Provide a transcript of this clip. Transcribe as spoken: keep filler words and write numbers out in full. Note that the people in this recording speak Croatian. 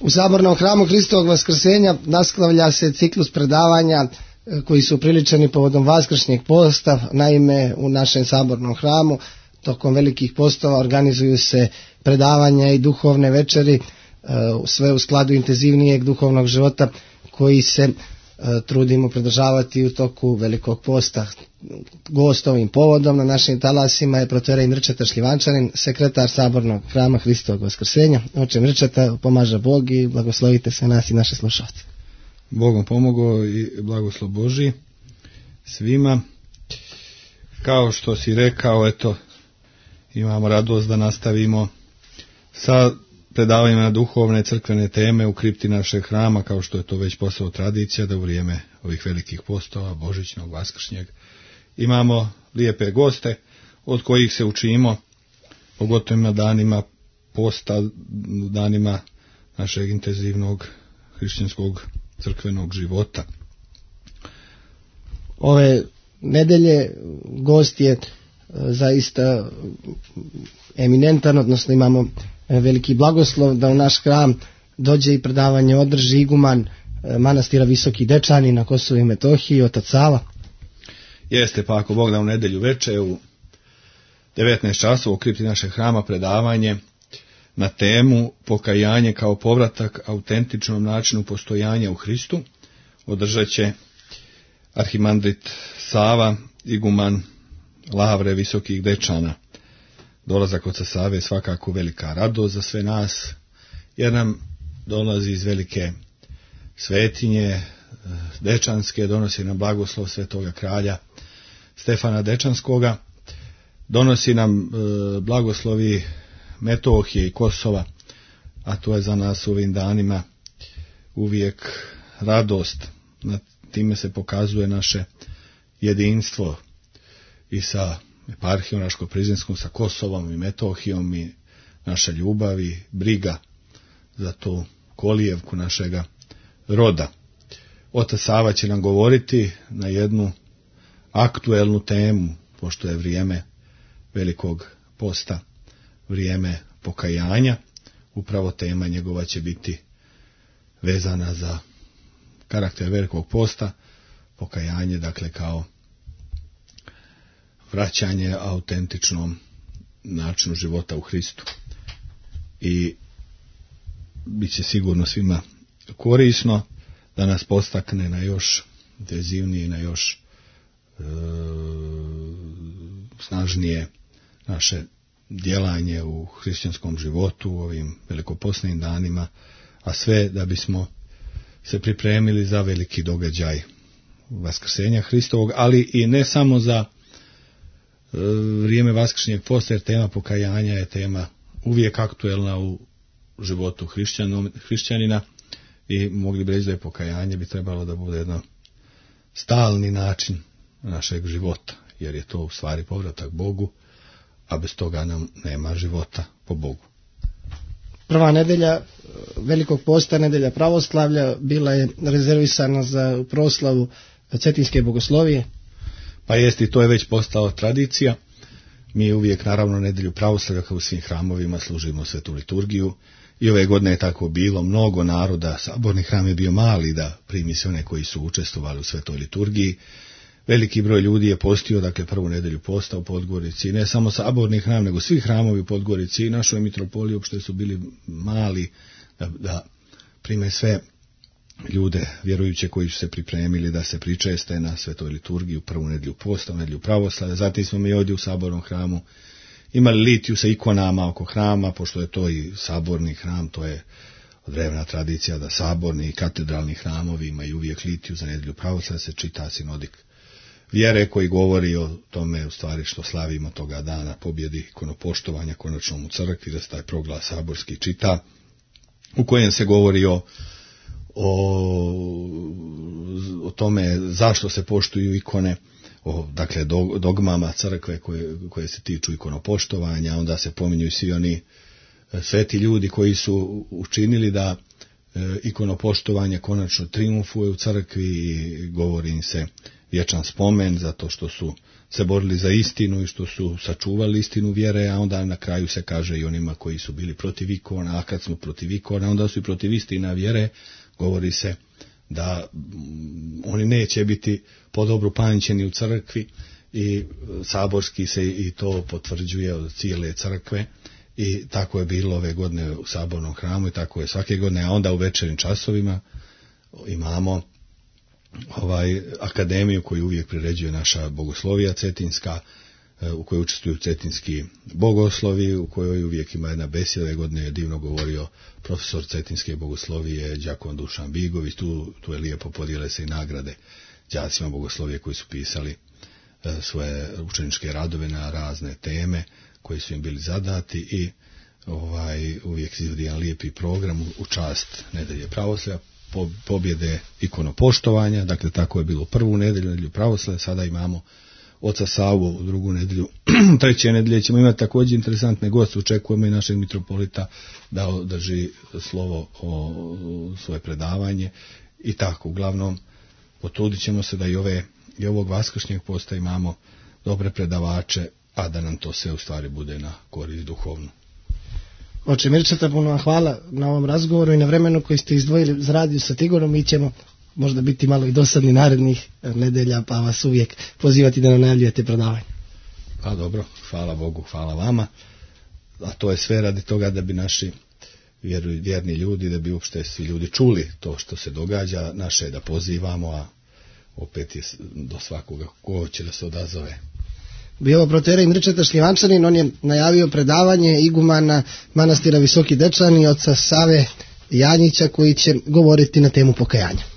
U Sabornom hramu Hristovog vaskrsenja nastavlja se ciklus predavanja koji su priličeni povodom vaskršnjeg posta. Naime, u našem Sabornom hramu tokom velikih postova organizuju se predavanja i duhovne večeri, sve u skladu intenzivnijeg duhovnog života koji se trudimo pridržavati u toku velikog posta. Gost ovim povodom na našim talasima je protorej Mrčeta Šljivančanin, sekretar Sabornog hrama Hristovog vaskrsenja. Oče Mrčeta, pomaže Bog i blagoslovite se nas i naše slušalce. Bogom pomogao i blagoslov Božji svima. Kao što si rekao, eto, imamo radost da nastavimo sa predavanjima na duhovne crkvene teme u kripti našeg hrama, kao što je to već postalo tradicija, da u vrijeme ovih velikih postova, božićnog, vaskršnjeg, imamo lijepe goste od kojih se učimo, pogotovo na danima posta, danima našeg intenzivnog hrišćanskog crkvenog života. Ove nedelje gost je zaista eminentan, odnosno imamo veliki blagoslov da u naš hram dođe i predavanje održi iguman manastira Visoki Dečani na Kosovu i Metohiji, otac Sava. Jeste, pa ako Bog da u nedjelju veče u devetnaest časova u kripti našeg hrama predavanje na temu pokajanje kao povratak autentičnom načinu postojanja u Hristu održat će arhimandrit Sava, iguman Lavre Visokih Dečana. Dolazak oca Save je svakako velika radost za sve nas, jer nam dolazi iz velike svetinje Dečanske, donosi nam blagoslov svetoga kralja Stefana Dečanskoga, donosi nam e, blagoslovi Metohije i Kosova, a to je za nas u ovim danima uvijek radost. Na time se pokazuje naše jedinstvo i sa eparhijom Raško-Prizinskom, sa Kosovom i Metohijom, i naša ljubav i briga za tu kolijevku našega roda. Otac Sava će nam govoriti na jednu aktuelnu temu, pošto je vrijeme velikog posta, vrijeme pokajanja. Upravo tema njegova će biti vezana za karakter velikog posta, pokajanje, dakle, kao vraćanje autentičnom načinu života u Hristu. I bit će sigurno svima korisno da nas postakne na još intenzivnije, na još e, snažnije naše djelanje u hrišćanskom životu u ovim velikopostnim danima, a sve da bismo se pripremili za veliki događaj vaskrsenja Hristovog, ali i ne samo za e, vrijeme vaskršnjeg posta, jer tema pokajanja je tema uvijek aktuelna u životu hrišćanina i mogli bi reći da je pokajanje bi trebalo da bude jedan stalni način našeg života, jer je to u stvari povratak Bogu, a bez toga nam nema života po Bogu. Prva nedelja velikog posta, nedelja pravoslavlja, bila je rezervisana za proslavu Cetinske bogoslovije. Pa jest, i to je već postao tradicija. Mi uvijek, naravno, nedelju pravoslavlja kao u svim hramovima služimo svetu liturgiju. I ove godine je tako bilo, mnogo naroda, saborni hram je bio mali da primi se one koji su učestvovali u svetoj liturgiji. Veliki broj ljudi je postio, dakle, prvu nedelju posta u Podgorici, ne samo saborni hram, nego svi hramovi u Podgorici i našoj mitropoliji uopšte su bili mali da, da prime sve ljude vjerujuće koji su se pripremili da se pričeste na svetoj liturgiji u prvu nedelju posta, u nedelju pravoslavlja. Zatim smo mi ovdje u sabornom hramu imali litiju sa ikonama oko hrama, pošto je to i saborni hram, to je od vremena tradicija da saborni i katedralni hramovi imaju uvijek litiju za nedelju pravoslavlja, se čita sinodik vjere koji govori o tome u stvari što slavimo toga dana pobjedi ikonopoštovanja konačnom u crkvi, da se taj proglas saborski čita, u kojem se govori o, o, o tome zašto se poštuju ikone, o, dakle, dogmama crkve koje, koje se tiču ikonopoštovanja. Onda se pominju svi oni sveti ljudi koji su učinili da ikonopoštovanje konačno triumfuje u crkvi i govori im se vječan spomen zato što su se borili za istinu i što su sačuvali istinu vjere, a onda na kraju se kaže i onima koji su bili protiv ikona, a kad smo protiv ikona, onda su i protiv istina vjere, govori se da oni neće biti podobru pamćeni u crkvi i saborski se i to potvrđuje od cijele crkve. I tako je bilo ove godine u sabornom hramu i tako je svake godine, a onda u večernjim časovima imamo ovaj akademiju koju uvijek priređuje naša bogoslovija cetinska, u kojoj učestvuju cetinski bogoslovi, u kojoj uvijek ima jedna besjeda. Ove godine je divno govorio profesor cetinske bogoslovije đakon Dušan Bigović, tu, tu je lijepo podijele se i nagrade đacima bogoslovije koji su pisali svoje učeničke radove na razne teme koji su im bili zadati i ovaj uvijek izvodi jedan lijepi program u čast nedelje pravoslavlja, po, pobjede ikonopoštovanja. Dakle, tako je bilo prvu nedelju, nedelju pravoslavlja, sada imamo oca Savu u drugu nedelju. Treće nedelje ćemo imati također interesantne goste, očekujemo i našeg mitropolita da održi slovo o svoje predavanje i tako. Uglavnom, potrudit ćemo se da i, ove, i ovog vaskršnjeg posta imamo dobre predavače, a da nam to sve u stvari bude na korist duhovnu. Oče Mirčeta, puno vam hvala na ovom razgovoru i na vremenu koji ste izdvojili za radio sa Tigorom. Mi ćemo možda biti malo i dosadni narednih nedelja, pa vas uvijek pozivati da nam najavljujete predavanje. Pa dobro, hvala Bogu, hvala vama. A to je sve radi toga da bi naši vjerni ljudi, da bi uopšte svi ljudi čuli to što se događa, naše da pozivamo, a opet je do svakoga ko će da se odazove. Bio proterej Mirčeta Šljivančanin, on je najavio predavanje igumana manastira Visoki Dečani, oca Save Janjića, koji će govoriti na temu pokajanja.